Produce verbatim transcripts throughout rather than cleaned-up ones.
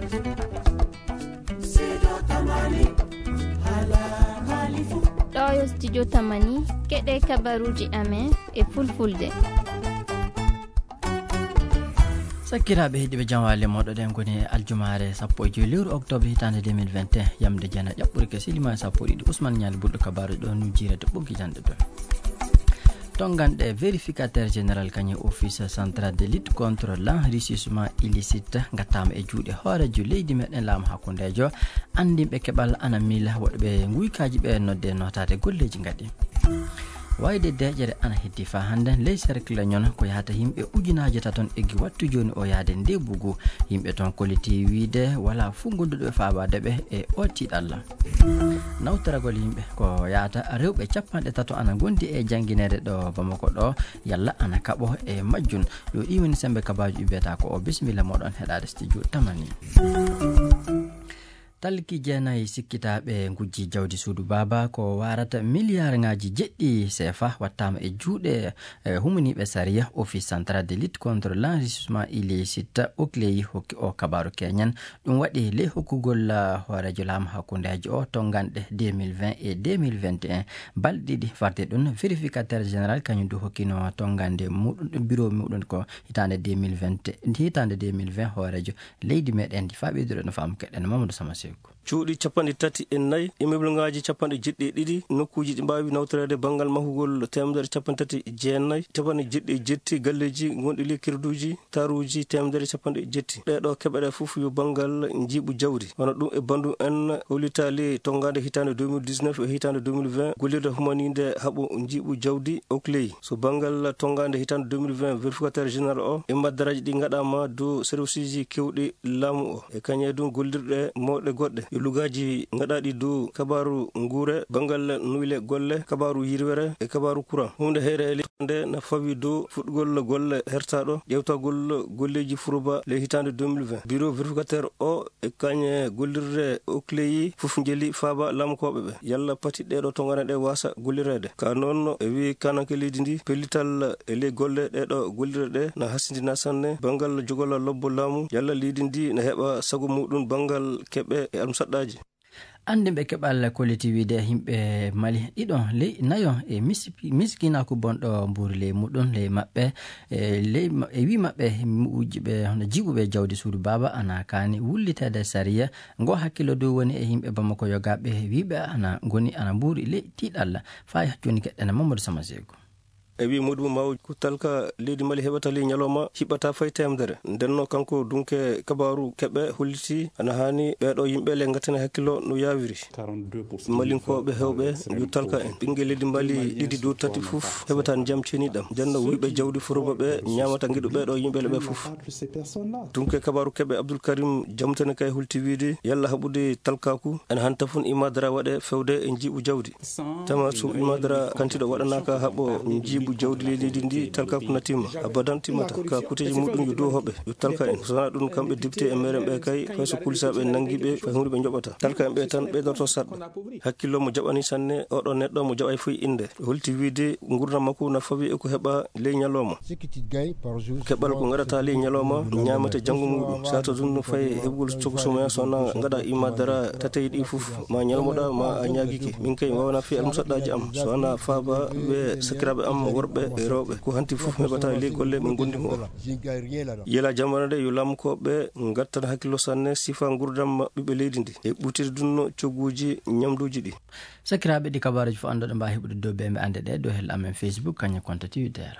Ɗo yo studio Tamani, keɗe kabaruuji amen e fulfulde. Sakkiraaɓe heɗiiɓe, jam waale mooɗon. Ɗen koni aljumaare sappo e joy lewru octobre hitaande deux mille vingt et un, yamde jana ƴaɓɓuri ke silima sappo e ɗiɗi. Ousmane Ñaali Bulɗo kabaaruuji ɗo nujjiire to ɓoggi janɗe ɗo. Tonnganɗe vérificateur général kañum office central de lutte contre l'enrichissement illicite ngattaama e juuɗe hooreejo leydi meɗen laamu hakkundeejo. Anndinɓe keɓal ana miila woɗɓe nguykaaji ɓe nodde nootaade golleeji ngaɗi. Wayde deeƴere ana heddi faa hannde ley cercle Ñono ko yahata yimɓe ujunaaje taton eggi wattu jooni o yahde Ndebugu. Yimɓe ton kolliti wiide walaa fuu gonduɗo e faabaade ɓe e o tiiɗalla. Nawtoragol yimɓe ko yahata rewɓe cappanɗe tato ana ngondi e janngineede ɗo Bamako ɗo, yalla ana kaɓo e majjun. Yo ɗi woni sembe kabaaji ɗi mbiyata ko o. Bisimilla mooɗon heɗaade studio Tamani. Talki jeenayi sikkitaaɓe ngujji jawdi suudu baaba ko waarata miliyaarŋaaji jeɗɗi seefa wattaama e juuɗe, eh, humaniiɓe sariya. Office central de lutte contre l'enrichissement illicite, OCLEI, hokki o kabaaru keñen. Ɗum waɗi ley hokkugol, ah, hooreejo laamu hakkundeejo o tonnganɗe deux mille vingt et deux mille vingt et un, balɗe ɗiɗi farde ɗum. Vérificateur général kañum du hokkino tonngande muɗum, bureau muɗum ko hitaande deux mille vingt, hitaande deux mille vingt hooreejo leydi meɗen ndi. Faa ɓeydude no faamu keɗen Mamadou Sama Seku. Cuuɗi capanɗe tati e nayi, immeuble ŋaaji capanɗe jeɗɗi e ɗiɗi, nokkuuji ɗi mbaawi nawtoreede banngal mahugol teemedere capanɗe tati e jeenayi, capanɗe jeɗɗi e jetti galleeji ngonɗi ley kirduuji, taruuji teemedere capanɗe jetti. Ɗee ɗoo keɓe ɗe fof yo banngal njiiɓu jawdi. Wano ɗum e banndum en hollitaali tonngaande hitaande deux mille dix-neuf e hitaande deux mille vingt, gollirde humaniinde haɓo njiiɓu jawdi OCLEI. So banngal tonngaande hitaande deux mille vingt, vérificateur général o, e maddaraaji ɗi ngaɗaama dow serviceji keewɗi laamu o, e kañum e ɗum gollirɗe mawɗe goɗɗe. E lugaaji ngaɗaaɗi dow kabaaru nguure, banngal nuyle golle, kabaaru yirwere, e kabaaru courant. Huunde heyre e leydi nde na fawi dow fuɗgol golle hertaaɗo ƴeewtagol golleeji furuba ley hitaande deux mille vingt. Bureau vérificateur o e kañe gollirde OCLEI fof njeli faaba laamkooɓe ɓe. Yalla pati ɗee ɗoo tonngane ɗe waasa gollireede. Ka noon e wii kananke leydi ndi, pellital e ley golle ɗee ɗoo gollirɗe ɗe na hasindina sanne banngal jogol lobbo laamu. Yalla leydi ndi na heɓa sago muɗum banngal keɓe e almusaɗɗaaji. Anndinɓe keɓal kolliti wiide yimɓe Mali ɗiɗo ley nayo e misi-, miskinaaku bonɗo mbuuri ley muɗum, ley maɓɓe, e ley ma-, e wii maɓɓe wujjuɓe hono jiiɓuɓe jawdi suudu baaba ana kaani wulliteede sariya. Ngo hakkillo dow woni e yimɓe Bamako yogaaɓe wiiɓe ana ngoni ana mbuuri ley tiiɗalla. Faa jooni keɗɗen Mamadou Sama Seku. E wii muɗum maw ko talka leydi Mali heɓata ley ñalawma hiɓɓata fay teemedere. Ndenno kanko dunke kabaaru keɓe holliti ana haani ɓee ɗoo yimɓe le ngattane hakkillo no yaawiri. Malinkooɓe heewɓe yo talka en. Ɓinngel leydi Mali ɗiɗi dow tati fof heɓata ndiyam ceniɗam. Ndenno wuyɓe jawdi furuba ɓe ñaamata ngiɗu ɓee ɗoo yimɓe le ɓe fof. Dunke kabaaru keɓe Abdoul Karim Jamtene kay holti wiide yalla haɓude talkaaku ene hanta fun imadara waɗe fewde e njiiɓu jawdi. Tama so imadara kantiɗo waɗanaaka haɓo njiiɓu jawdi ley leydi ndi talkaaku na timma. Abadan timmata. Ka kuteeji muɗum yo dow hoɓe, yo talka en. So wonaa ɗum kamɓe député e meeren ɓe kay fay so kulisaaɓe nanngi ɓe fay huunde ɓe njoɓata. Talka en ɓe tan ɓeydorto saɗɗo. Hakkillo mo jaɓani sanne oɗo neɗɗo mo jaɓay foy innde. Holti wiide ngurdam makko na fawi e ko heɓa ley ñalawma. Keɓal ko ngaɗata ley ñalawma, ñaamete janngo muɗum. Sato ɗum no fayi heɓugol cogo somoya so wona ngaɗa imadara tatay ɗi fof, ma ñalmoɗa, ma a ñaagike. Min kay mi wawana fi almusaɗɗaji am. So wona faaba ɓe sakiraɓe am worɓe e rewɓe. Ko hanti fof mi heɓata ley golle min gondi mo. Yela jamana nde yo lamkoɓe ngattan hakkillo sanne sifa ngurdam ɓiɓɓe leydi ndi. E ɓutiri ɗum no cogguji ñamduji ɗi. Sakiraaɓe, ɗi kabaaruuji fof annduɗo mbaawi heɓude dow ɓe ɓe annde ɗe dow hel amen Facebook, kañum konta Twitter.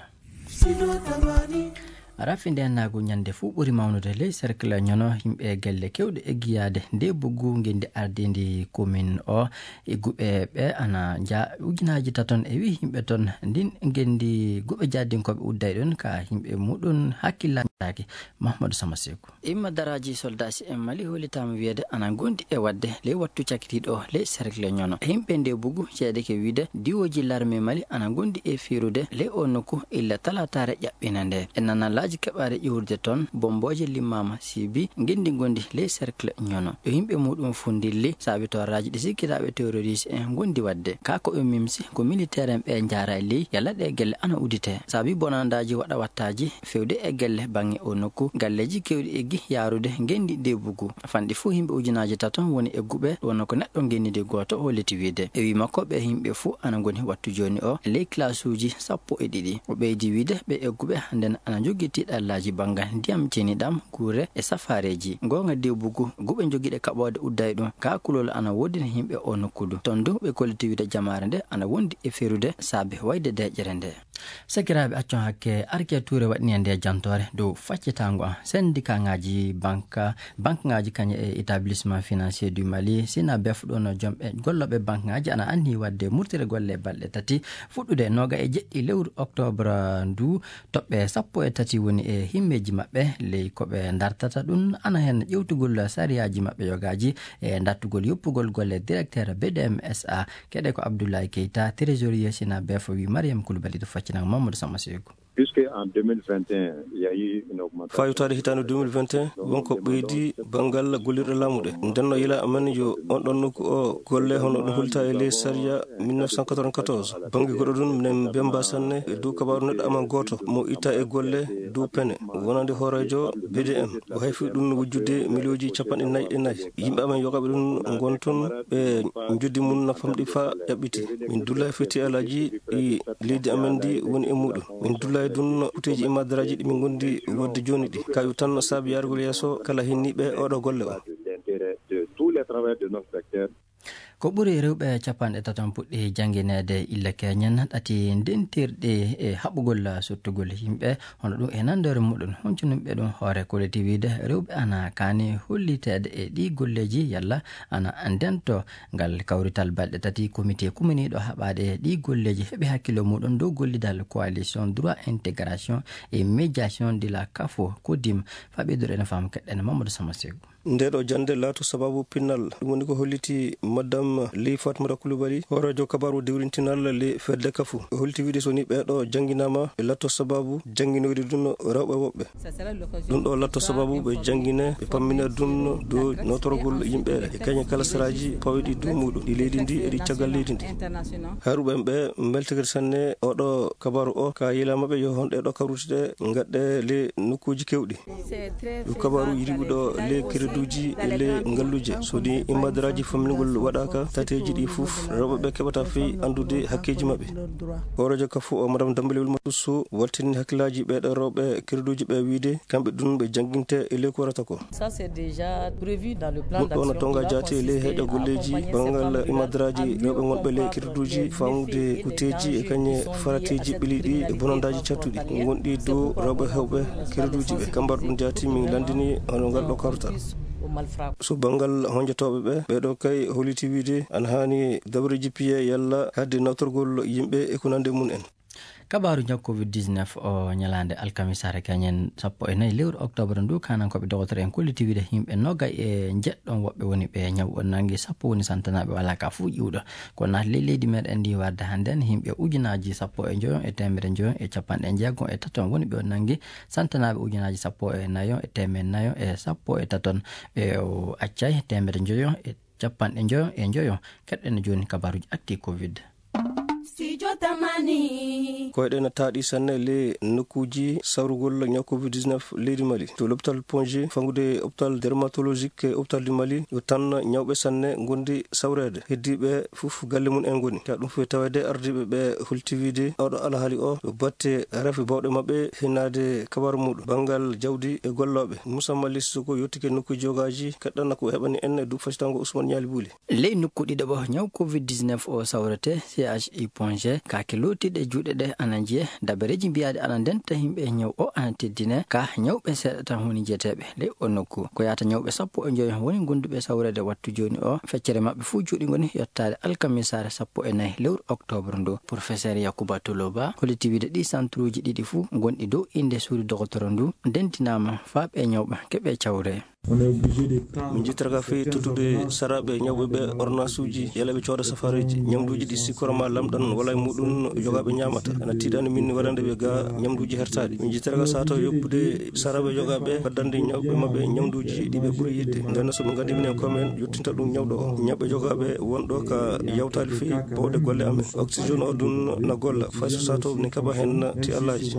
Rafi ndeenaagu ñande fuu ɓuri mawnude ley cercle Ñono, yimɓe gelle keewɗe eggiyaade nde buggu ngenndi ardiindi commune o. E guɓe ɓe ana nja ujunaaji taton e wi yimɓe ton ndin ngenndi guɓe jaddinkooɓe udday ɗon ka yimɓe muɗum hakkillaaki. Mahamadou Sama Seku. Imma daraaji soldaasi en Mali hollitaama wiyeede ana ngondi e waɗde ley wattu cakitiiɗo o ley cercle Ñono. Yimɓe nde bugu ceedeke wiide diwooji larme Mali ana ngondi e fiirude ley o nokku illa talaataare ƴaɓɓina nde. E nanalaaji keɓaare ƴuurde toon, bombooje limmaama siibi ngenndi ngondi ley cercle Ñono. Ɗo yimɓe muɗum fundilli saabi tooraaji ɗi sikkitaaɓe terroriste en ngondi waɗde. Kaa ko ɓe mimsi ko militaire en ɓe njaara e ley yalla ɗe gelle ana udite. Saabi bonandaaji waɗa wattaaji fewde e gelle E o nokku, galleeji keewɗi eggi yaarude ngenndi deebugu. Fanɗi fuu yimɓe ujunaaji tato woni egguɓe, wonno ko neɗɗo ngenndi gooto o leti wiide. E wii makko, ɓe yimɓe fuu ana ngoni wattu jooni o ley kilasuuji sappo e ɗiɗi. O ɓeydi wiide, ɓe egguɓe hannden ana njogii tiiɗallaaji banngal ndiyam ceniɗam, guure e safaareeji. Ngoonga deebugu, guɓe njogiiɗe kaɓoode udday ɗum, kaa kulol ana woodi e yimɓe o nokku du. Toon du, ɓe kolliti wiide jamaare nde ana wondi e ferude saabe wayde deeƴere nde. Sakiraaɓe, accon hakke, Arke Tuure waɗni e nde jantoore dow faccitaango an. Sendikaaŋaaji banka, bankŋaaji kañe e établissement financier du Mali, sina bef ɗon jom e gollooɓe bankŋaaji ana anni waɗde murtire golle balɗe tati, fuɗɗude nooga e jeɗɗi lewru octobre ndu. Toɓɓe sappo e tati woni e himmeeji maɓɓe, ley ko ɓe dartata ɗum ana heen ƴewtugol sariyaaji maɓɓe yogaaji e dartugol yoppugol golle directeur B D M S A. Keɗe ko Abdoulaye Keita, trésorier sina bef, wi Mariam Koulibaly to faccinaango Mamadou Sama Seeku. Puisque en deux mille vingt et un, il y a eu une augmentation. Fayutaade hitaande deux mille vingt et un, wonko ɓeydi banngal gollirɗe laamu ɗe. Nden no yila amen yo on ɗon nokku o golle hono ɗum hulta e ley sariya mille neuf cent quatre-vingt-quatorze. Bannge goɗɗo ɗum, minen mbemba sanne e dow kabaaru neɗɗo amen gooto mo itta e golle dow pene, wonande hooreejo B D M. O hayfi ɗum wujjude miliyooji capanɗe nayi e nayi. Yimɓe amen yogaaɓe ɗum ngon toon, ɓe njoddi mum na famɗi faa ƴaɓɓiti. Min dulla e fiti alaaji ɗi leydi amen ndi woni e muɗum. Min dulla e ɗum kuteeji e madaraaji ɗi min ngondi wodde jooni ɗi. Kayu tan saabi yaarugol yeeso kala hinniiɓe oɗo golle o. Ko ɓuri rewɓe capanɗe tato puɗɗi janngineede illa keñen ɗati ndentirɗi e haɓugol suttugol yimɓe, hono ɗum e nanndore muɗum. Huncunimɓe ɗum hoore kolliti wiide rewɓe ana kaani holliteede e ɗi golleeji yalla ana ndento. Ngal kawrital balɗe tati, komite kuminiiɗo haɓaade ɗi golleeji heɓi hakkillo muɗum dow gollidal coalition droit intégration et médiation de la CAFO, CODIM. Faa ɓeydude ene faam keɗɗen Mamadou Sama Seeku. Nde ɗo jannde laato sababu pinnal. Ɗum woni ko holliti Madame Ley Fatmata Koulibaly, hooreejo kabaru dewrintinal le fedde kafu. O holliti wiide so ni ɓee ɗo jannginaama, ɓe latto sababu jannginoyde ɗum rewɓe woɓɓe. Ɗum ɗo latto sababu ɓe janngine, ɓe pammina ɗum dow nootorgol yimɓe e kañe kala saraaji pawɗi dow muɗum, ɗi leydi ndi e ɗi caggal leydi ndi. Hayruɓe ɓe mbeltagiri sanne oɗo kabaru o, ka yila maɓɓe yo honɗe ɗo kawrutide ngaɗɗe le nokkuuji kewɗi. Ɗum kabaru yiɗuɗo le kereduuji e le ngalluje. So ɗi imadaraaji famminngol waɗaaka, tateeji ɗi fof, rewɓe ɓe keɓata fey anndude hakkeeji maɓɓe. Hooreejo kafu o, Madame Dambelewel Matuso, waltini hakkillaaji ɓee ɗo rewɓe kereduuji ɓe wiide, kamɓe ɗum ɓe jannginte e le ko warata ko. Ça, c'est déjà prévu dans le plan d'action. Ɗum ɗo na tonga jaati e le heeɗo golleeji banngal imadaraaji rewɓe wonɓe le kereduuji, faamude kuteeji e kañe farateeji ɓeliɗi e bonandaaji cattuɗi ngonɗi dow rewɓe heewɓe kereduuji ɓe. Kambar ɗum jaati min lanndini hono ngal ɗo kawrital. So banngal honjotooɓe ɓe, ɓee ɗo kay holliti wiide ana haani dabareeji piye yalla haɗde nawtorgol yimɓe e ko nanndi mum en. Kabaaru ñaw covid dix-neuf o ñalaande alkamisaare kañen sappo e nayi lewru octobre ndu, kaanankooɓe dogotoro en kolliti wiide yimɓe nogay e njeɗɗon woɓɓe woni ɓe ñaw o nanngi, sappo woni santanaaɓe, walaa ka fuu ƴiwɗo. Ko naati ley leydi meɗen ndi warde hannden, yimɓe ujunaaji sappo e njoyon e teemedde njoyon e capanɗe jeegom e taton woni ɓe o nanngi, santanaaɓe ujunaaji sappo e nayon e teemedde nayon e sappo e taton, ɓe o accay teemedde njoyon e capanɗe njoyon e njoyon. Keɗɗen jooni kabaaruji akti covid. Studio Tamani. Koyɗe na taaɗi sanne le nokkuuji sawrugol ñaw covid dix-neuf leydi Mali. To l'hôpital Pongé, fangude hôpital dermatologique e hôpital du Mali, yo tan ñawɓe sanne ngondi sawreede. Heddiiɓe fof galle mum en ngoni. Ka ɗum fof taweede ardiiɓe ɓe holti wiide oɗo alhaali o yo batte rafi bawɗe maɓɓe hinnaade kabaaru muɗum. Banngal jawdi e gollooɓe. Moussa Mali Sissoko yottike nokkuuji yogaaji, kaɗɗana ko heɓani en e duuɓi facitango Ousmane Ñaali Buuli. Ley nokku ɗiɗaɓo ñaw covid dix-neuf o sawrete, C H U Pongé, kaake lootiiɗe juuɗe ɗe ana njiye, dabareeji mbiyaaɗi ana ndenta yimɓe ñaw o ana teddine, ka ñawɓe seeɗa tan woni jeteeɓe ley o nokku. Ko yaata ñawɓe sappo e njoyo woni gonduɓe sawreede wattu jooni o, feccere maɓɓe fuu juuɗe ngoni yottaade alkamisaare sappo e nayi lewru octobre ndu. Professeur Yakuba Toloba holliti wiide ɗi santuruuji ɗiɗi fuu gonɗi dow innde suudu dogotoro ndu ndentinaama faa ɓe ñawɓe keɓe cawre. Min njittata ka fii tottude saraaɓe ñawɓe ɓe ordonnansuuji, yalla ɓe cooda safaareeji. Ñamduuji ɗi sikkora ma lamɗan wala e muɗum yogaaɓe ñaamata. Ana tiiɗani min waɗande ɓe ga ñamduuji hertaaɗi. Min njittata ka sato yoppude saraaɓe yogaaɓe waddande ñawɓe maɓɓe ñamduuji ɗi ɓe ɓuri yiɗde. Nden so ɓe nganndi minen ko men yottinta ɗum ñawɗo o. Ñawɓe yogaaɓe wonɗo ka yawtaali fii bawɗe golle amen. Oxygène o ɗum na golla. Fay so sato ne kaɓa hen ti Allaaji.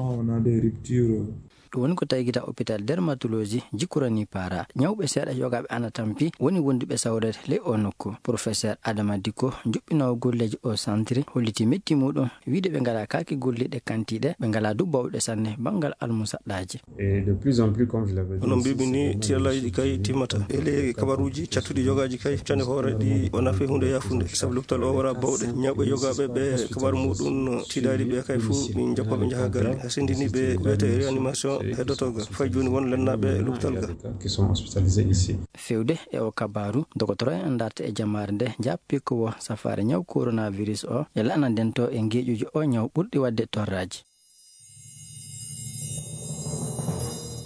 Ɗum woni ko tawi gita hôpital dermatologie jikkurani para. Ñawɓe seeɗa yogaaɓe ana tampi woni wonduɓe sawreede ley o nokku. Professeur Adama Dikko, juɓɓinoowo golleeji o centre, holliti metti muɗum, wiide ɓe ngalaa kaake golliiɗe kantiiɗe, ɓe ngalaa du bawɗe sanne banngal almusaɗɗaaji. Et de plus en plus, comme je l'avais dit, hono aussi, mbiimi c'est ni, vraiment tiyallaaji ɗi kay timmata. E ley kabaruuji cattuɗi yogaaji kay, cande hoore ɗi o nafe huunde yaafunde. Sabu lopital o wara bawɗe. Ñawɓe yogaaɓe ɓe kabaru muɗum tiiɗaali ɓe kay fof, min jokko ɓe njaha galle. Hasindini ɓe ko wiyetee réanimation heddotoo ga. Fay jooni won lennaaɓe lopital ga. Qui sont hospitalisés ici. Fewde e o kabaru, dogotoro en darta e jamaare nde, jappi ko wo safaare ñaw coronavirus o, e laana nden to e ngeeƴuji o ñaw ɓurɗi waɗde torraaji.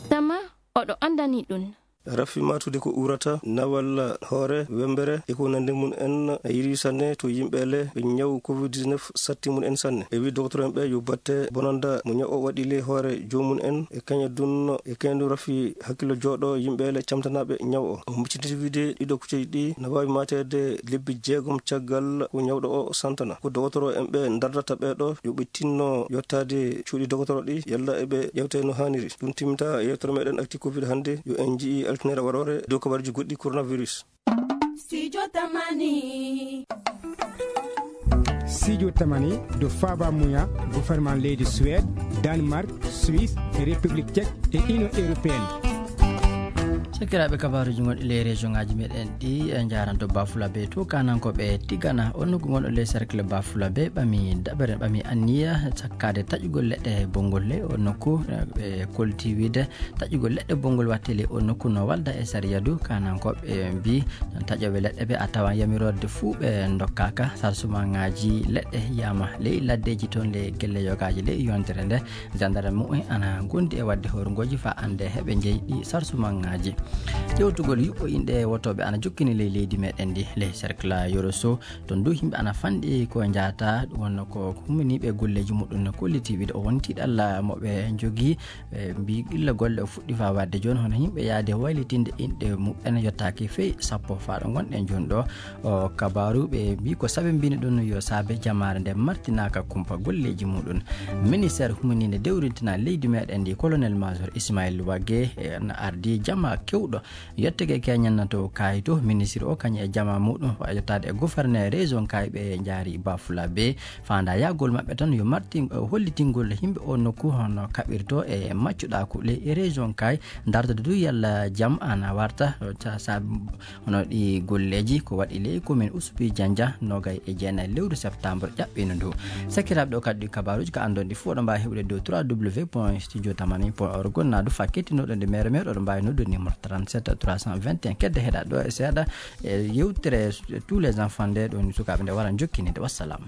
Tama oɗo anndani ɗum. Rafi matude ko urata, nawal hoore, wembere, e ko nandi mum en, a yiri sanne to yimɓe le ɓe ñaw covid dix-neuf satti mum en sanne. E wi docteur en ɓe yo batte bonanda mo ñaw o waɗi le hoore joomum en, e kaña dun, e kaña dun rafi hakkillo jooɗo yimɓe le camtanaɓe ñaw o. O micciti wiide ɗiɗo kucceji ɗi na waawi mateede lebbi jeegom caggal ko ñawɗo o santana. Ko dogotoro en ɓe ndardata ɓe ɗo, yo ɓe tinno yottaade cuuɗi dogotoro ɗi, yalla eɓe ƴewte no haaniri. Ɗum timminta yewtere meɗen Actu Covid hannde. Yo en njii altine waroore dow kabaruuji goɗɗi coronavirus. Studio Tamani. Studio Tamani, do Faba Muya, gouvernement leydi Suède, Danemark, Suisse, e République Tchèque, e Union Européenne. Sakiraaɓe, kabaruuji gonɗi ley région ngaji meɗen ɗi, e njaranto Bafulabe to Kanankooɓe Tigana, on nokku gonɗo ley cercle Bafulabe, ɓami daɓere, ɓami anniya sakkaade taƴugol leɗɗe bonngol ley on nokku, ɓe kolti wiide taƴugol leɗɗe bonngol watte ley on nokku no walda e sariya du. Kanankooɓe mbi taƴooɓe leɗɗe ɓe a tawan yamiroode fuu ɓe ndokkaaka. Sarsumaŋaaji leɗɗe yiyama ley laddeeji toon ley gelle yogaaji ley yontere nde. Jandarme mu'en ana gondi e wadde horngooji faa annde heɓe njeyi ɗi sarsumaŋaaji. Ƴewtugol yuɓɓo inɗe wotooɓe ana jokkini ley leydi meɗen ndi, ley cercle Yoro Sow. Toon du yimɓe ana fanɗi ko njaata, ɗum wonno ko humminiiɓe golleeji muɗum no kolliti wiide o wonti ɗalla mo ɓe njogii. Ɓe mbi illa golle o fuɗɗi faa waɗde jooni, hono yimɓe yaade waylitinde inɗe muɓɓen yottaaki fey sappo faa ɗo ngonɗen jooni ɗo. O kabaaru ɓe mbi ko sabe mbini ɗum yo saabe jamaare nde martinaaka kumpa golleeji muɗum. Ministère humininde dewrintina leydi meɗen ndi, colonel major Ismaël Wagué, e, na ardi jama kewɗo. Yettege keñen na to Kaayi to, ministre o kañum e jama muɗum, wa yettaade e gouverneur région Kaayi ɓe njaari Bafulabe. Faandaayagol maɓɓe tan yo martin-, hollitingol yimɓe o nokku hono kaɓirto e maccuɗaaku ley région Kaayi, dartode du yalla jam ana warta, sa-, sa-, hono ɗi golleeji ko waɗi ley commune Oussoupi Diandia, nogay e jeenayi lewru septembre ƴaɓɓino ndu. Sakiraaɓe, ɗo kadi ɗi kabaruuji ka anndon ɗi fof ɗo mbaawi heɓude dow trois W point studio tamani point org, na du fa kettinoɗo nde mere mere, oɗo mbaawi noddude numéro trente-sept trois cent vingt et un. Kedde heɗa ɗo e seeɗa e yewtere tous les enfants nde ɗon sukaaɓe nde waran jokkinide. Wassalam.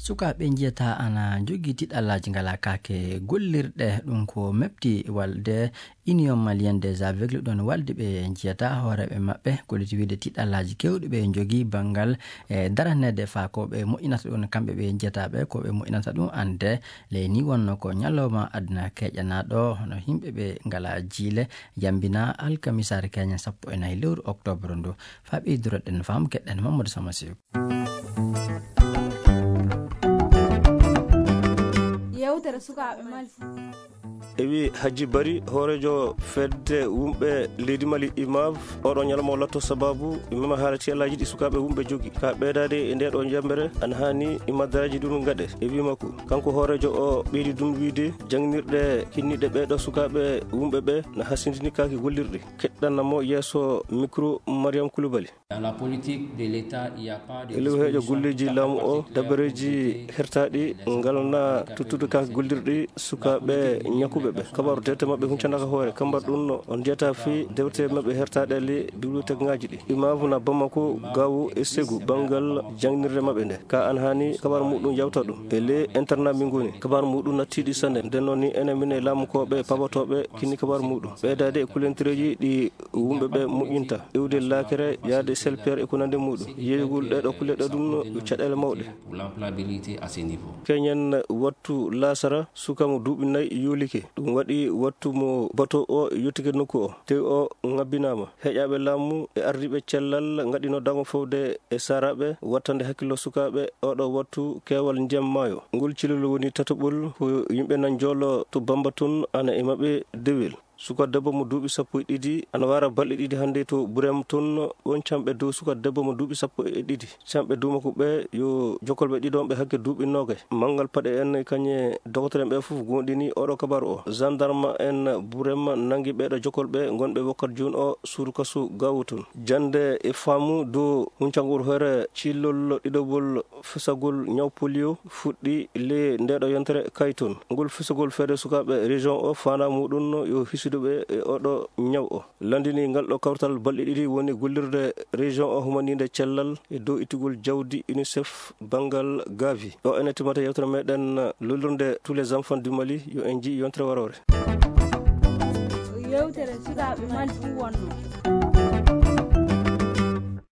Sukaaɓe njiyata ana njogii tiɗallaaji ngalaa kaake gollirɗe, ɗum ko mefti walde Union Malienne des Aveugles, ɗon walde ɓe njiyata hooreeɓe maɓɓe, kolliti wiide tiɗallaaji keewɗi ɓe njogii banngal e daraneede faa ko ɓe moƴƴinata ɗum kamɓe ɓe njiyata ɓe, ko ɓe moƴƴinata ɗum annde. Ley ni wonno ko ñalawma aduna keƴanaaɗo, hono yimɓe ɓe ngalaa jiile, yambina alkamisaare keñen sappo e nayi lewru octobre ndu. Faa ɓeyduroɗen faamu keɗɗen Mamadou Sama Sew. Yewtere sukaaɓe Mali. E wi Hajji Bari, hooreejo fedde wumɓe leydi Mali, imav, oɗo ñalawma o latto sababu mema haala tiyallaaji ɗi sukaaɓe wumɓe jogi. Ka ɓeydaade e nde ɗo jambere, ana haani imadaraaji ɗum gaɗe. E wi makko, kanko hooreejo o ɓeydi ɗum wiide, jangnirɗe kinniɗe ɓee ɗo sukaaɓe wumɓe ɓe na hasindini kaaki gollirɗi. Keɗɗana mo yeeso micro Mariam Koulibaly. Dans la politique de l'État, il y a pas de e lewheejo disposition golleeji laamu o, dabareeji hertaaɗi ngal na tuttude ka gollirɗi sukaaɓe ñakuɓe ɓe. Kabaru dewte maɓɓe huncanaaka hoore. Kambar ɗum no on njiyata fii dewte maɓɓe hertaaɗe le bibliothèque ŋaaji ɗi. Imaamu na Bamako, Gaawo e Segu banngal jangnirde maɓɓe nde. Ka an haani kabaru muɗum yawta ɗum. E le internat min ngoni. Kabaru muɗum nattiiɗi sanne. Nden noon ni enen min e laamukooɓe, pabotooɓe, kinni kabaru muɗum. Ɓeydaade e kulentereeji ɗi wumɓe ɓe moƴƴinta, iwde laakere, yaade selpeer e ko nandi muɗum. Yeeyugol ɗee ɗoo kulle ɗe ɗum no caɗeele mawɗe. Pour l'employabilité à ce niveau. Keñen wattu laasara, suka mo duuɓi nayi yoolike. Ɗum waɗi wattu mo bato o yottike nokku o. Tewi o ŋabbinaama. Heƴaaɓe laamu e ardiiɓe cellal ngaɗino dango fowde e saaraaɓe wattande hakkillo sukaaɓe oɗo wattu keewal ndiyam maayo. Ngol cilol woni tataɓol ko yimɓe nan joolo to Bamba tun ana e maɓɓe dewel. Suka debbo mo duuɓi sappo e ɗiɗi ana wara balɗe ɗiɗi hannde to Burem tun. On camɓe dow suka debbo mo duuɓi sappo e ɗiɗi. Camɓe duuma ko ɓe yo jokkolɓe ɗiɗon ɓe hakke duuɓi noogay. Manngal paɗe en kañe dogotoren ɓe fof goonɗini oɗo kabaru o. Gendarme en Burem nangi ɓeɗo jokkolɓe ngonɓe wokkat jun o suudu kasu gawu tun. Jannde e faamu dow huncangol hoore cillol ɗiɗoɓol fesagol ñaw polio fuɗɗi le ndeɗo yontere kay tun. Ngol fesagol feede sukaaɓe région o faandaa muɗum yo hisude ɓe e oɗo ñaw o. Lanndini ngal ɗo kawtal balɗe ɗiɗi woni gollirde région o humaninde cellal e dow ittugol jawdi UNICEF banngal Gavi. Ɗo ene timata yewtere meɗen lollirde tous les enfants du Mali, yo en ji yontere warore. Yewtere sukaaɓe Mali ɗum wonno.